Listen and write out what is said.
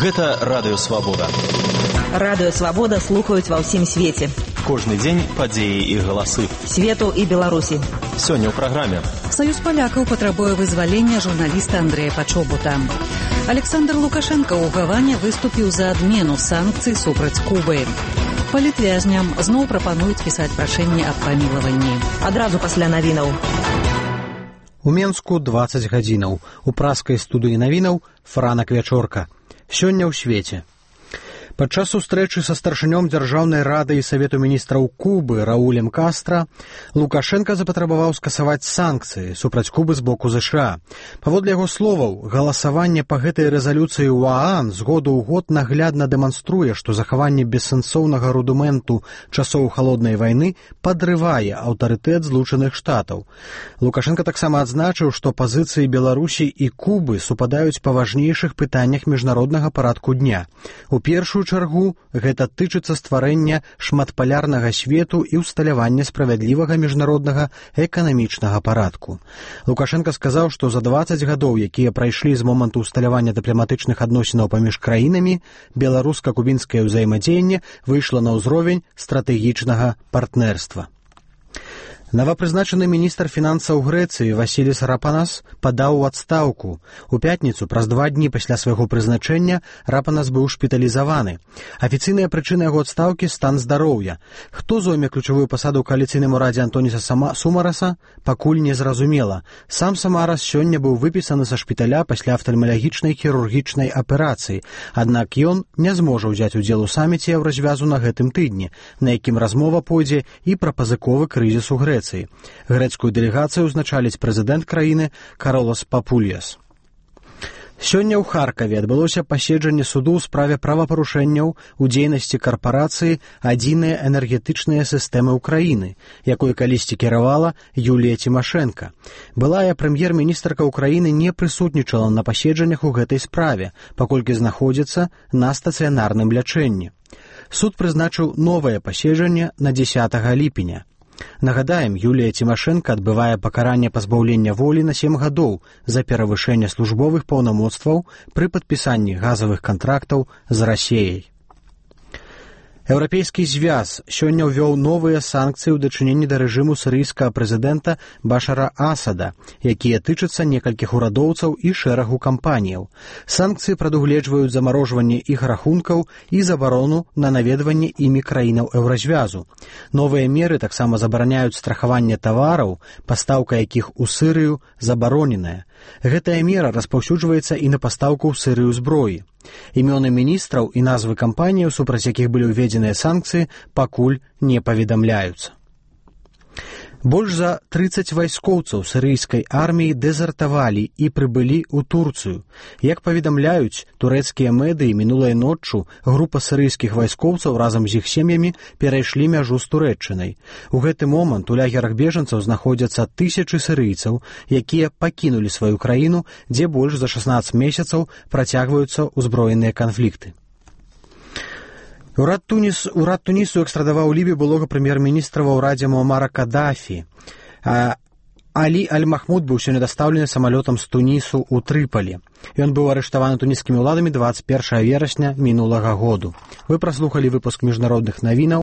Гэта Радыё Свабода. Радыё Свабода слухаюць ва ўсім свеце. Кожны дзень падзеі і галасы. Свету і Беларусі. Сёння ў праграме. Саюз палякаў патрабуе вызвалення журналіста Андрэя Пачобута. Александр Лукашенко ў Гаване выступіў за адмену санкцый супраць Кубы. Палітвязням зноў прапануюць пісаць прашэнне аб памілаванні. Адразу пасля навінаў. У Менску 20 гадзінаў. У праскай студыі навінаў Франак Вячорка. Сёння ў свеце. Падчас сустрэчы са старшынём Дзяржаўнай рады і Савету міністраў Кубы Раулем Кастра Лукашенко запатрабаваў скасаваць санкцыі супраць Кубы з боку ЗША. Паводле яго словаў, галасаванне па гэтай рэзалюцыі ў ААН з году ў год наглядна дэманструе, што захаванне бессэнсоўнага рудыменту часоў халоднай вайны падрывае аўтарытэт Злучаных Штатаў. Лукашенко таксама адзначыў, што пазіцыі Беларусі і Кубы супадаюць па важнейшых пытаннях міжнароднага парадку дня. У першую чаргу гэта тычыцца стварэння шматпалярнага свету і ўсталявання справядлівага міжнароднага эканамічнага парадку. Лукашенко сказаў, што за 20 гадоў, якія прайшлі з моманту ўсталявання дыпламатычных адносінаў паміж краінамі, беларуска-кубінскае ўзаемадзеянне выйшла на ўзровень стратэгічнага партнерства. Новапрызначаны міністр фінансаў Грэцыі Васіліс Рапанас падаў у адстаўку. У пятніцу, праз 2 дні пасля свайго прызначэння, Рапанас быў шпіталізаваны. Афіцыйная прычына яго адстаўкі – стан здароўя. Хто зойме ключавую пасаду ў кааліцыйным урадзе Антоніса Сумараса, пакуль не зразумела. Сам Самарас сёння быў выпісаны са шпіталя пасля афтальмалагічнай хірургічнай аперацыі. Аднак ён не зможа ўзяць удзел у саміце Еўразвязу на гэтым тыдні, на якім размова пойдзе і пра пазыковы крызіс у Грэцыі. Грэцкую дэлегацыю ўзначаліць прэзідэнт краіны Каролас Папульяс. Сёння ў Харкаве адбылося паседжанне суду ў справе правапарушэнняў у дзейнасці карпорацыі «Адзіная энергетычная сістэма ўкраіны», якой калісьці кіравала Юлія Тимошенко. Былая прэм'ер-міністрка ўкраіны не прысутнічала на паседжаннях у гэтай справе, паколькі знаходзіцца на стацыянарным лячэнні. Суд прызначыў новае паседжанне на 10 ліпеня. Нагадаем, Юлія Тимошенко адбывае пакаранне пазбаўлення волі на 7 гадоў за перавышэнне службовых паўнамоцтваў пры падпісанні газавых кантрактаў з Расіяй. Еўрапейскі звяз сёння ўвёў новыя санкцыі ў дачыненні да рэжыму сірыйскага прэзідэнта Башара Асада, якія тычацца некалькіх урадоўцаў і шэрагу кампаніяў. Санкцыі прадугледжваюць замарожванне іх рахункаў і забарону на наведванне імі краінаў Еўразвязу. Новыя меры таксама забараняюць страхаванне тавараў, пастаўка якіх у Сірыю забароненая. Гэтая мера распаўсюджваецца і на пастаўку ў Сірыю зброі. Імёны міністраў і назвы кампаніяў, супраць якіх былі ўведзеныя санкцыі, пакуль не паведамляюцца. Больш за 30 вайскоўцаў сірыйскай арміі дэзертавалі і прыбылі ў Турцыю. Як паведамляюць турэцкія медыі, мінулай ноччу група сірыйскіх вайскоўцаў разам з іх сем'ямі перайшлі мяжу з Турэччынай. У гэты момант у лагерах бежанцаў знаходзяцца тысячы сірыйцаў, якія пакінулі сваю краіну, дзе больш за 16 месяцаў працягваюцца ўзброеныя канфлікты. Урад Тунісу экстрадаваў Лібію былога прэм'ер-міністра ва ўрадзе Муамара Кадафі. Алі Аль-Махмуд быў сёння дастаўлены самалётам з Тунісу ў Трыпалі. Ён быў арыштаваны туніскімі ўладамі 21 верасня мінулага году. Вы праслухалі выпуск міжнародных навінаў.